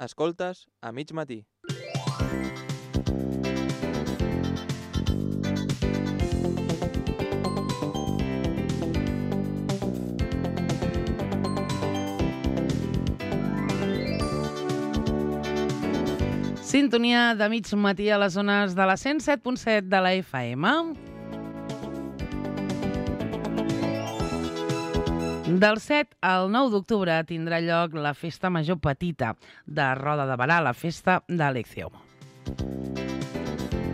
Escoltes a mig matí. Sintonia de mig matí a les zones de la 107.7 de la FM. Del 7 al 9 d'octubre tindrà lloc la Festa Major Petita de Roda de Berà, la festa d'Alección.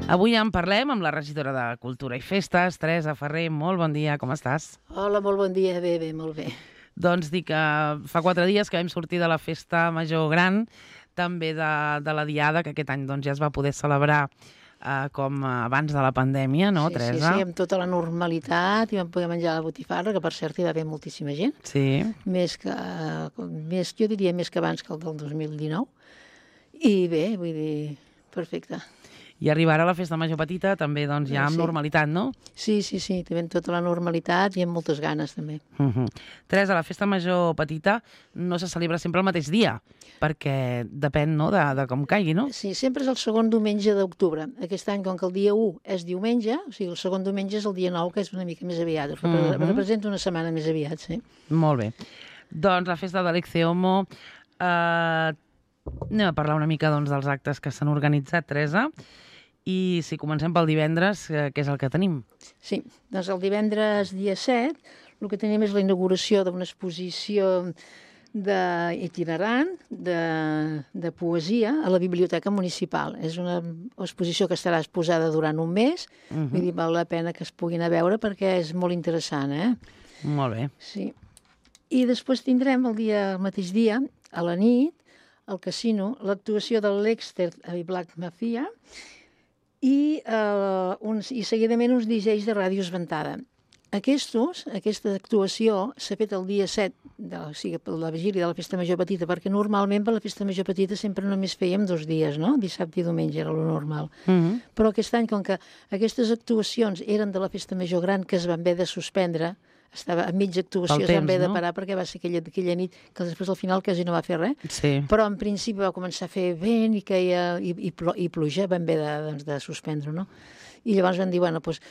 Avui en parlem amb la regidora de Cultura i Festes, Teresa Ferrer. Molt bon dia, com estàs? Hola, molt bon dia, bé, molt bé. Doncs dic que fa 4 dies que vam sortir de la Festa Major Gran, també de la Diada, que aquest any doncs, ja es va poder celebrar com abans de la pandèmia, no, Teresa? Sí, amb tota la normalitat, i vam poder menjar la botifarra, que per cert hi va haver moltíssima gent. Sí. Jo diria més que abans que el del 2019. I bé, vull dir, perfecte. I arribarà la Festa Major Petita també doncs, ja amb normalitat, no? Sí, també amb tota la normalitat i amb moltes ganes, també. Teresa, la Festa Major Petita no se celebra sempre el mateix dia, perquè depèn, no?, de com caigui, no? Sí, sempre és el segon diumenge d'octubre. Aquest any, com que el dia 1 és diumenge, o sigui, el segon diumenge és el dia 9, que és una mica més aviat. Representa una setmana més aviat, sí. Molt bé. Doncs la Festa d'Alección, anem a parlar una mica doncs, dels actes que s'han organitzat, Teresa. I si comencem pel divendres, què és el que tenim? Sí, doncs el divendres dia 7 el que tenim és la inauguració d'una exposició itinerant de poesia a la Biblioteca Municipal. És una exposició que estarà exposada durant un mes, vull dir, val la pena que es puguin a veure perquè és molt interessant, Molt bé. Sí. I després tindrem el mateix dia, a la nit, al casino, l'actuació de l'Exter a Black Mafia, i seguidament uns DJs de Ràdio Esventada. Aquesta actuació s'ha fet el dia 7, o sigui, per la vigília de la Festa Major Petita, perquè normalment per la Festa Major Petita sempre només fèiem 2 dies, no? Dissabte i diumenge era lo normal. Però aquest any, com que aquestes actuacions eren de la Festa Major Gran, que es van haver de suspendre, estava a mitja actuació, es van haver de parar perquè va ser aquella nit que després al final quasi no va fer res, però en principi va començar a fer vent i queia i pluja, van haver de suspendre, no? I llavors van dir, bueno, doncs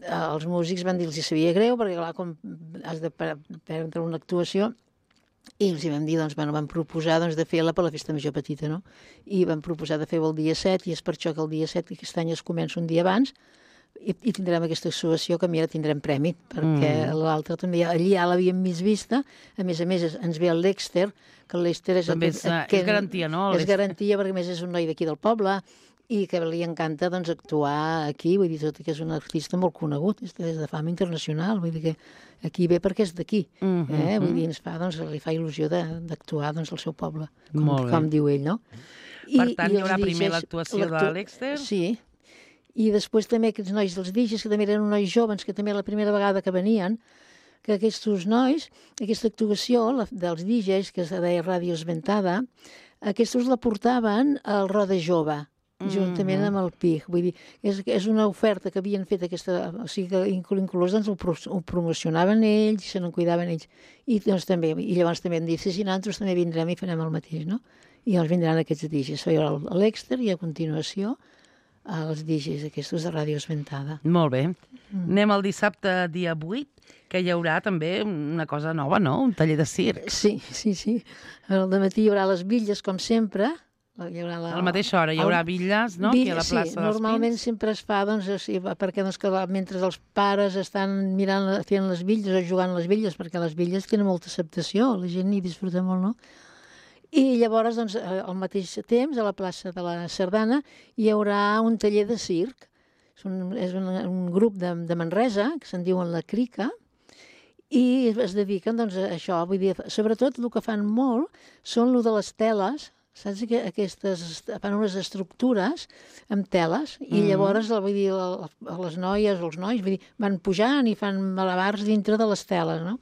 els músics van dir, els hi sabia greu perquè clar, com has de perdre una actuació, i els hi vam dir, doncs, van proposar de fer-la per la Festa Major Petita, no? I van proposar de fer-ho el dia 7, i és per això que el dia 7, que aquest any es comença un dia abans, i tindrem aquesta exposició que mira, tindrem premi, perquè l'altra també, allí ja l'havíem més vista, a més ens ve el l'Exter, que l'Exter és... També és garantia, no? És garantia, perquè a més és un noi d'aquí del poble, i que li encanta doncs, actuar aquí, vull dir, tot que és un artista molt conegut, és de fama internacional, vull dir que aquí ve perquè és d'aquí, vull dir, li fa il·lusió d'actuar doncs, al seu poble, com diu ell, no? Per tant, hi haurà primer l'actuació de l'Exter? Sí, i després també aquests nois dels DJs, que també eren nois joves, que també la primera vegada que venien, que aquests nois, aquesta actuació dels DJs, que es deia Ràdio Esventada, aquests la portaven al Roda Jove, juntament amb el PIG. Vull dir, és una oferta que havien fet aquesta... O sigui, que inclús doncs, ho promocionaven ells i se n'en cuidaven ells. I llavors també hem dit, si nosaltres també vindrem i farem el mateix, no? I llavors vindran aquests DJs. Hi haurà l'Exter i a continuació els DJs aquests de Ràdio Esventada. Molt bé. Anem al dissabte, dia 8, que hi haurà també una cosa nova, no? Un taller de circ. Sí. Al dematí hi haurà les bitlles, com sempre. A la mateixa hora hi haurà bitlles, no? Aquí a la plaça dels Pins. Sí, normalment sempre es fa, perquè mentre els pares estan fent les bitlles o jugant les bitlles, perquè les bitlles tenen molta acceptació, la gent hi disfruta molt, no? I llavors, doncs, al mateix temps, a la plaça de la Sardana, hi haurà un taller de circ. És un grup de Manresa, que se'n diuen La Crica, i es dediquen doncs, a això. Vull dir, sobretot el que fan molt són el de les teles, saps que fan unes estructures amb teles, i llavors, vull dir, les noies o els nois van pujant i fan malabars dintre de les teles, no?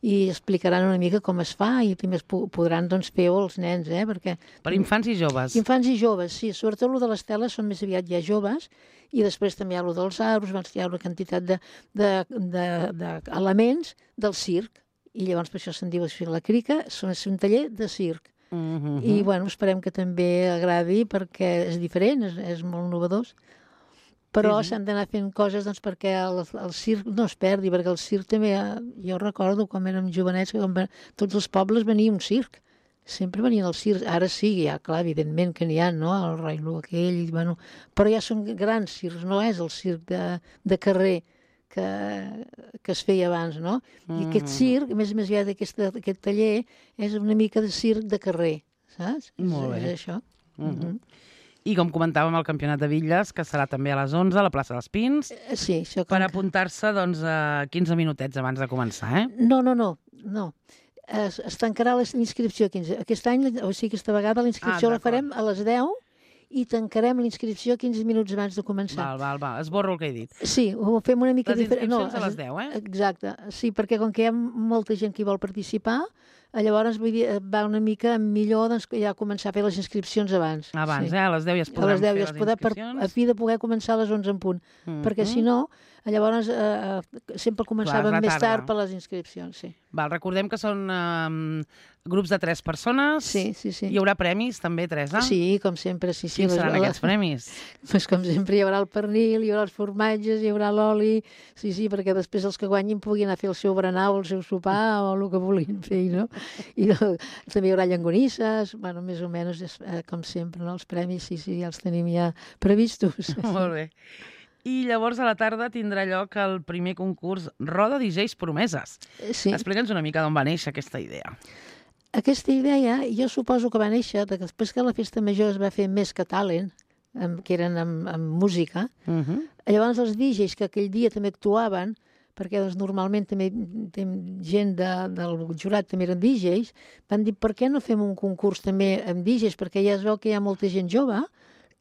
I explicaran una mica com es fa i també podran doncs, fer-ho els nens, perquè... Per infants i joves. Infants i joves, sí. Sobretot el de les teles són més aviat ja joves, i després també hi ha el dels arbres, hi ha una quantitat d'elements del circ, i llavors per això se'n diu La Crica, és un taller de circ. I, bueno, esperem que també agradi perquè és diferent, és molt innovador. Però s'han d'anar fent coses doncs, perquè el circ no es perdi, perquè el circ també, jo recordo quan érem jovenets, que tots els pobles venia un circ, sempre venien els circs, ara sí, ja, clar, evidentment que n'hi ha, no?, el Rai Lu aquell, bueno, però ja són grans circs, no és el circ de carrer que es feia abans, no? I aquest circ, a més aviat aquest taller, és una mica de circ de carrer, saps? Molt bé. És això. I com comentàvem, el Campionat de Bitlles, que serà també a les 11 a la plaça dels Pins, Sí, això per apuntar-se doncs, 15 minutets abans de començar, eh? No. Es tancarà l'inscripció 15. Aquest any, o sigui, aquesta vegada la inscripció la farem a les 10 i tancarem l'inscripció 15 minuts abans de començar. Val. Esborro el que he dit. Sí, ho fem una mica diferent. Les inscripcions a les 10, eh? Exacte. Sí, perquè com que hi ha molta gent que hi vol participar, llavors vull dir, va una mica millor doncs, ja començar a fer les inscripcions abans. Abans, sí. A les 10 ja es podran fer les inscripcions. A fi de poder començar a les 11 en punt. Perquè si no, llavors sempre començàvem més tard per les inscripcions, sí. Val, recordem que són grups de 3 persones. Sí. Hi haurà premis també, Teresa? Sí, com sempre, sí. Quins seran aquests premis? Pues com sempre hi haurà el pernil, hi haurà els formatges, hi haurà l'oli, sí, perquè després els que guanyin puguin anar a fer el seu berenar o el seu sopar o el que vulguin fer, no? I també hi haurà llangonisses, bueno, més o menys, com sempre, no? Els premis, sí, ja els tenim ja previstos. Molt bé. I llavors a la tarda tindrà lloc el primer concurs Roda DJs Promeses. Sí. Explica'ns una mica d'on va néixer aquesta idea. Aquesta idea, jo suposo que va néixer després que la festa major es va fer més que talent, que eren amb música. Llavors els DJs que aquell dia també actuaven, perquè doncs, normalment també gent del jurat també eren DJs, van dir per què no fem un concurs també amb DJs, perquè ja es veu que hi ha molta gent jove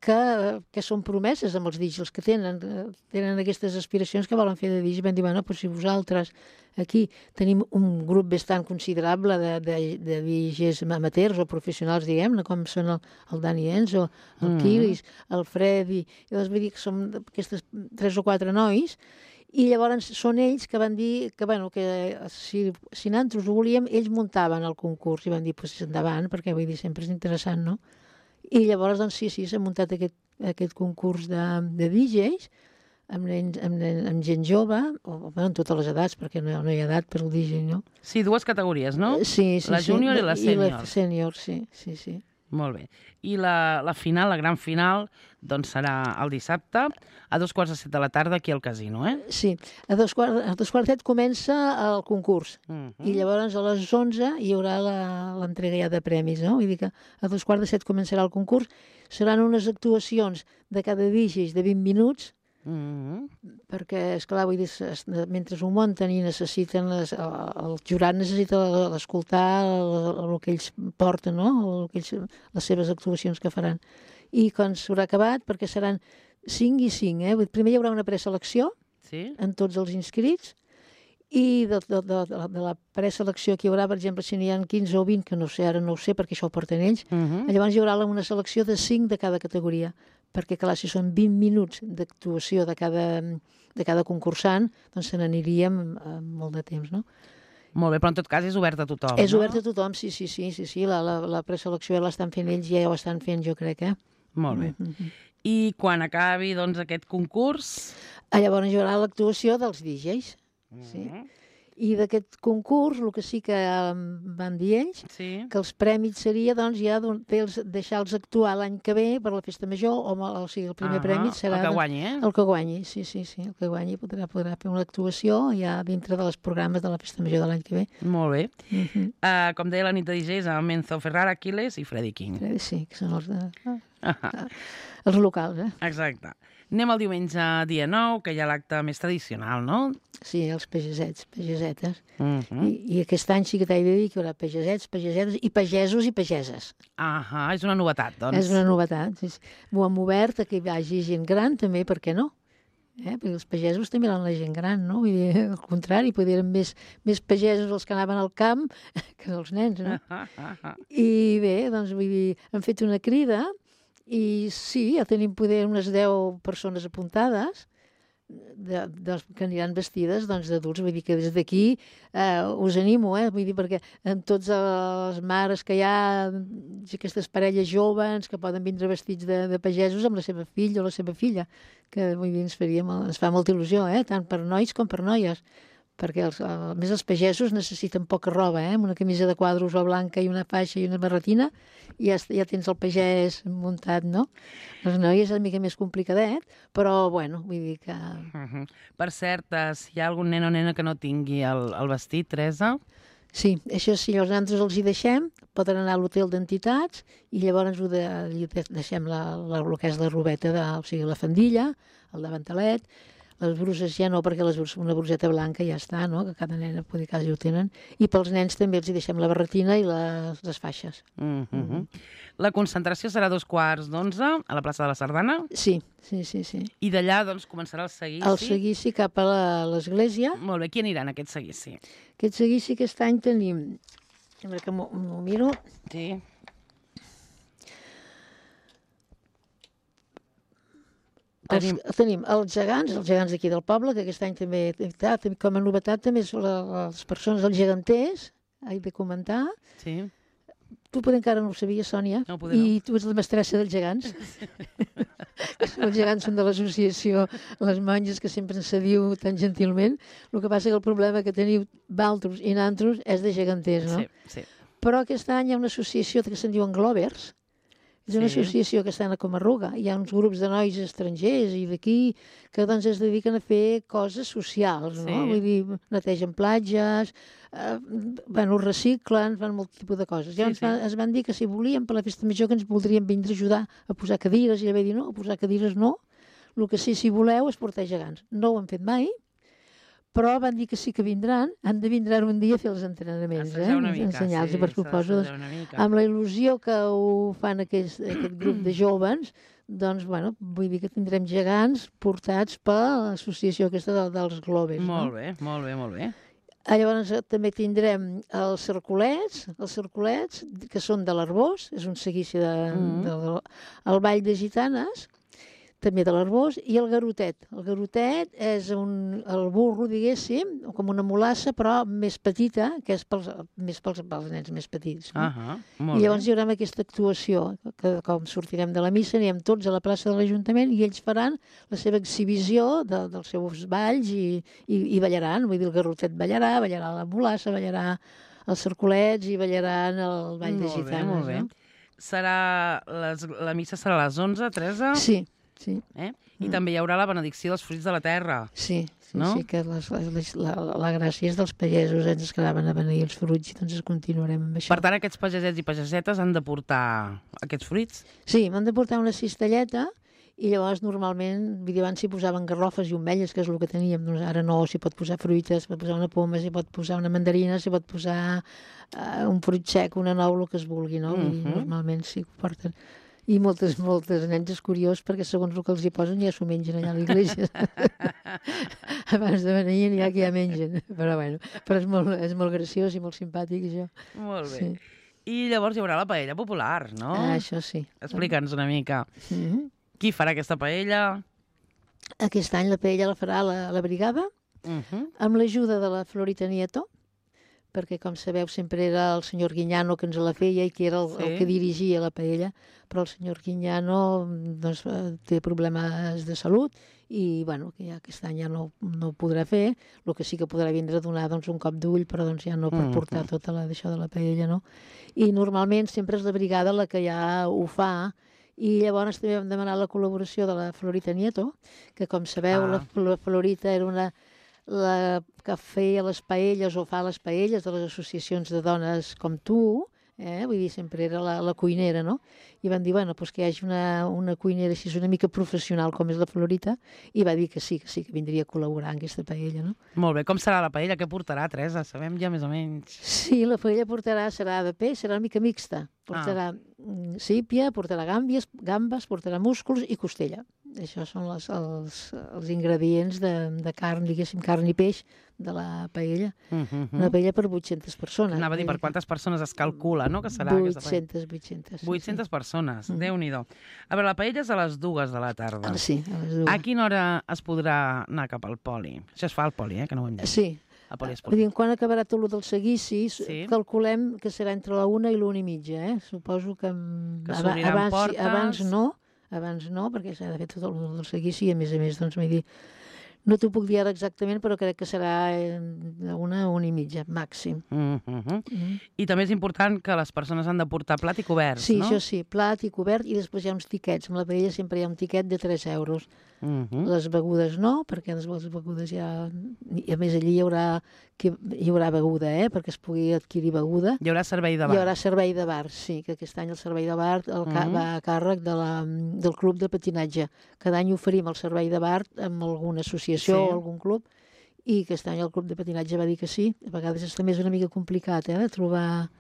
que són promeses amb els DJs, els que tenen aquestes aspiracions que volen fer de DJs. Van dir, bueno, si vosaltres aquí tenim un grup bastant considerable de DJs amateurs o professionals, diguem-ne, com són el Dani Enzo, el Kiris, el Freddy, i llavors vull dir que som aquestes 3 o 4 nois, i llavors són ells que van dir que, bueno, que si nosaltres ho volíem, ells muntaven el concurs i van dir, pues endavant, perquè vull dir, sempre és interessant, no? I llavors, doncs, sí, s'ha muntat aquest concurs de DJs amb gent jove, o en totes les edats, perquè no hi ha edat per al DJ, no? Sí, 2 categories, no? Sí. La júnior i la sènior. I la sènior, sí. Molt bé. I la final, la gran final, doncs serà el dissabte a 2:45 de la tarda aquí al casino, eh? Sí, a 2:45 comença el concurs i llavors a les 11 hi haurà l'entrega ja de premis, no? Vull dir que a 2:45 començarà el concurs, seran unes actuacions de cada DJs de 20 minuts, perquè, esclar, vull dir, mentre ho munten i necessiten, el jurat necessita escoltar el que ells porten, no? Les seves actuacions que faran. I quan s'haurà acabat, perquè seran 5 i 5, primer hi haurà una preselecció en tots els inscrits, i de la preselecció que hi haurà, per exemple, si n'hi ha 15 o 20, que no sé, ara no ho sé, perquè això ho porten ells, llavors hi haurà una selecció de 5 de cada categoria, perquè, clar, si són 20 minuts d'actuació de cada concursant, doncs se n'aniríem molt de temps, no? Molt bé, però en tot cas és obert a tothom, no? És obert a tothom, sí. La preselecció ja l'estan fent ells, ja ho estan fent, jo crec, Molt bé. I quan acabi, doncs, aquest concurs? Llavors hi haurà l'actuació dels DJs, sí. I d'aquest concurs, el que sí que van dir ells, que els prèmits seria, doncs, ja deixar-los actuar l'any que ve per la festa major, o sigui, el primer prèmit serà... El que guanyi, El que guanyi, sí. El que guanyi podrà fer una actuació ja dintre dels programes de la festa major de l'any que ve. Molt bé. Com deia la nit de DJs, amb Enzo Ferrara, Aquiles i Freddy King. Sí, que són els locals, Exacte. Anem el diumenge dia 9, que hi ha l'acte més tradicional, no? Sí, els pagesets, pagesetes. I aquest any sí que t'he de dir que hi haurà pagesets, pagesetes i pagesos i pageses. És una novetat, doncs. És una novetat. Ho hem obert a que hi hagi gent gran, també, per què no? Perquè els pagesos també eren la gent gran, no? Vull dir, al contrari, podien més pagesos els que anaven al camp que els nens, no? I bé, doncs, vull dir, hem fet una crida i sí, ja tenim poder unes 10 persones apuntades que aniran vestides d'adults. Vull dir que des d'aquí us animo, vull dir, perquè en totes les mares que hi ha, aquestes parelles joves que poden vindre vestits de pagesos amb la seva fill o la seva filla, que vull dir, ens fa molta il·lusió, tant per nois com per noies, perquè a més els pagesos necessiten poca roba, amb una camisa de quadros o blanca i una faixa i una barretina, i ja tens el pagès muntat, no? Les noies és una mica més complicadet, però, bueno, vull dir que... Per cert, si hi ha algun nen o nena que no tingui el vestit, Teresa... Sí, això sí, nosaltres els hi deixem, poden anar a l'hotel d'entitats i llavors deixem el que és la robeta, o sigui, la fandilla, el davantalet. Les bruses ja no, perquè una bruseta blanca ja està, no? Que cada nena quasi ho tenen. I pels nens també els hi deixem la barretina i les faixes. La concentració serà a 2:15 a la plaça de la Sardana? Sí. I d'allà, doncs, començarà el seguici? El seguici cap a l'església. Molt bé, qui anirà en aquest seguici? Aquest seguici aquest any tenim... A veure que m'ho miro. Sí. Tenim els gegants d'aquí del poble, que aquest any també, com a novetat, també són les persones, els geganters, he de comentar. Sí. Tu potser encara no ho sabies, Sònia, no. I tu ets la mestressa dels gegants. Els gegants són de l'associació Les Monges, que sempre se diu tan gentilment. El que passa que el problema que teniu d'altres i nantros és de geganters, no? Sí. Però aquest any hi ha una associació que se'n diuen Glovers. És una associació que està a Comarruga. Hi ha uns grups de nois estrangers i d'aquí que doncs es dediquen a fer coses socials, no? Vull dir, netegen platges, reciclen, fan molt tipus de coses. Llavors es van dir que si volíem per la festa major que ens voldrien vindre a ajudar a posar cadires, i ella va dir no, a posar cadires no, el que sí, si voleu, és portar gegants. No ho han fet mai, però van dir que sí que vindran, han de vindre un dia a fer els entrenaments, ensenyar-los, per suposo, amb la il·lusió que ho fan aquest grup de jóvens, doncs, bueno, vull dir que tindrem gegants portats per l'associació aquesta dels Globes. Molt bé. Llavors també tindrem els cercolets, que són de l'Arbós, és un seguici el Ball de Gitanes, també de l'Arbós, i el garotet. El garotet és el burro, diguéssim, com una mulassa, però més petita, que és pels nens més petits. I llavors hi haurà aquesta actuació, que com sortirem de la missa, anirem tots a la plaça de l'Ajuntament i ells faran la seva exhibició dels seus balls i ballaran. Vull dir, el garotet ballarà la mulassa, ballarà els cercolets i ballaran el ball de gitanes. Molt bé. La missa serà a les 11, Teresa? Sí. I també hi haurà la benedicció dels fruits de la terra. Sí, que la gràcia és dels pagesos, ens quedaven a beneir els fruits i doncs continuarem amb això. Per tant, aquests pagesets i pagesetes han de portar aquests fruits? Sí, m'han de portar una cistelleta i llavors normalment, abans s'hi posaven garrofes i ometlles, que és el que teníem, doncs ara no, s'hi pot posar fruites, s'hi pot posar una poma, s'hi pot posar una mandarina, s'hi pot posar un fruit sec, una nou, el que es vulgui, no? I normalment sí que ho porten. I moltes nens és curiós perquè segons el que els hi posen ja s'ho mengen allà a l'església. Abans de venir n'hi ha que ja mengen. Però bueno, és molt graciós i molt simpàtic això. Molt bé. Sí. I llavors hi haurà la paella popular, no? Això sí. Explica'ns una mica. Qui farà aquesta paella? Aquest any la paella la farà la brigada amb l'ajuda de la Florita Nieto, perquè, com sabeu, sempre era el senyor Guiñano que ens la feia i que era el que dirigia la paella, però el senyor Guiñano doncs, té problemes de salut i, bueno, que ja aquest any ja no ho podrà fer, el que sí que podrà vindre a donar doncs, un cop d'ull, però doncs, ja no per portar tota d'això de la paella, no? I normalment sempre és la brigada la que ja ho fa, i llavors també vam demanar la col·laboració de la Florita Nieto, que, com sabeu, la Florita era la que feia les paelles o fa les paelles de les associacions de dones com tu, vull dir, sempre era la cuinera, no? I van dir, bueno, doncs que hi hagi una cuinera així una mica professional com és la Florita, i va dir que sí, que vindria a col·laborar en aquesta paella, no? Molt bé, com serà la paella? Què portarà, Teresa? Sabem ja més o menys. Sí, la paella serà de peix, serà una mica mixta. Portarà sípia, portarà gambes, portarà músculs i costella. Això són els ingredients de carn, diguéssim, carn i peix de la paella. Una paella per 800 persones. Anava a dir, per quantes persones es calcula, no?, que serà aquesta paella? 800. 800 persones, Déu-n'hi-do. A veure, la paella és a les 2 de la tarda. Sí, a les 2. A quina hora es podrà anar cap al poli? Això es fa al poli, que no ho hem dit. Sí. Al poli Vull dir, quan acabarà tot el del seguici, Sí. calculem que serà entre la 1 i l'1:30, Suposo que s'obriran portes. abans no, perquè s'ha de fer tot el del seguici i, a més, doncs, vull dir, no t'ho puc dir ara exactament, però crec que serà de 1 a 1:30, màxim. I també és important que les persones han de portar plat i coberts, Sí, no? això sí, plat i cobert, i després hi ha uns tiquets. Amb la paella sempre hi ha un tiquet de 3 euros. Les begudes no, perquè les begudes ja... I a més, allí hi haurà beguda, perquè es pugui adquirir beguda. Hi haurà servei de bar. Hi haurà servei de bar, sí, que aquest any el servei de bar va a càrrec del club de patinatge. Cada any oferim el servei de bar amb alguna associació o algun club, i aquest any el club de patinatge va dir que sí. A vegades també és una mica complicat, de trobar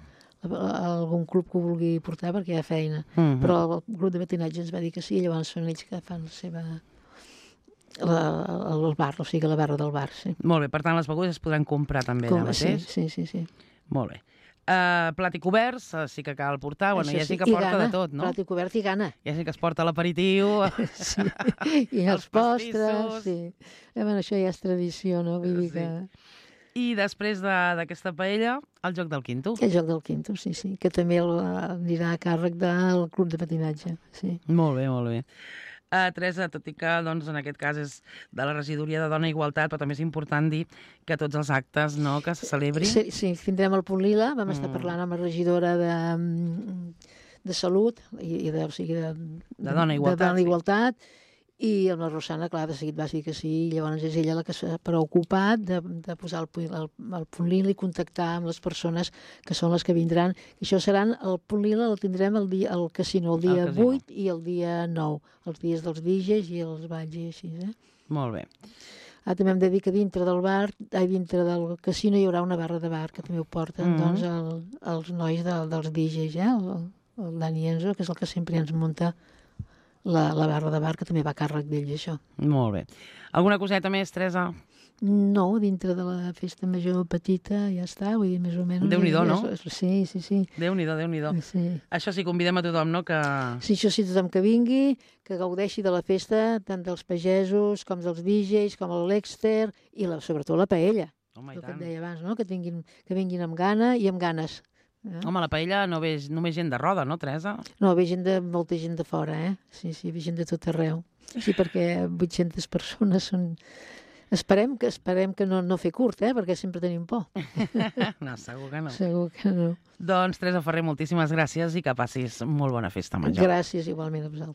algun club que ho vulgui portar perquè hi ha feina. Però el club de patinatge ens va dir que sí, i llavors són ells que fan la seva... el bar, o sigui, la barra del bar, sí. Molt bé, per tant, les begudes es podran comprar també allà mateix? Sí. Molt bé. Plat i coberts, sí que cal portar. Bueno, hi ha gent que porta de tot, no? Plat i cobert i gana. Hi ha gent que es porta l'aperitiu, Sí, i els postres, sí. Bueno, això ja és tradició, no? Vull dir que... I després d'aquesta paella, el joc del quinto. El joc del quinto, sí, que també anirà a càrrec del club de patinatge, sí. Molt bé, molt bé. Teresa, tot i que doncs, en aquest cas és de la regidoria de Dona i Igualtat, però també és important dir que tots els actes que se celebrin... Sí, tindrem el Punt Lila, vam estar parlant amb la regidora de Salut, o sigui, de Dona i Igualtat. De Dona i Igualtat, i amb la Rosana, clar, de seguit va dir que sí, i llavors és ella la que s'ha preocupat de posar el Punt Lila i contactar amb les persones que són les que vindran. I això seran, el Punt Lila el tindrem al casino, el dia 8 i el dia 9, els dies dels DJs i els balls i així, Molt bé. També hem de dir que dintre del casino hi haurà una barra de bar, que també ho porten doncs, els nois dels DJs, el Dani Enzo, que és el que sempre ens munta la barra de bar, que també va a càrrec d'ells, això. Molt bé. Alguna coseta més, Teresa? No, dintre de la festa major petita ja està, vull dir, més o menys... Déu-n'hi-do, no? Sí. Déu-n'hi-do. Sí. Això sí, convidem a tothom, no? Sí, això sí, tothom que vingui, que gaudeixi de la festa, tant dels pagesos, com dels DJs, com el Lexter, i sobretot la paella. Home, el que et deia abans, no? Que vinguin amb gana i amb ganes. Home, la paella no ve només gent de Roda, no, Teresa? No, ve molta gent de fora, Sí, ve gent de tot arreu. Sí, perquè 800 persones són... Esperem que no fer curt, perquè sempre tenim por. No, segur que no. Segur que no. Doncs, Teresa Ferrer, moltíssimes gràcies i que passis molt bona festa major. Gràcies, igualment a vosaltres.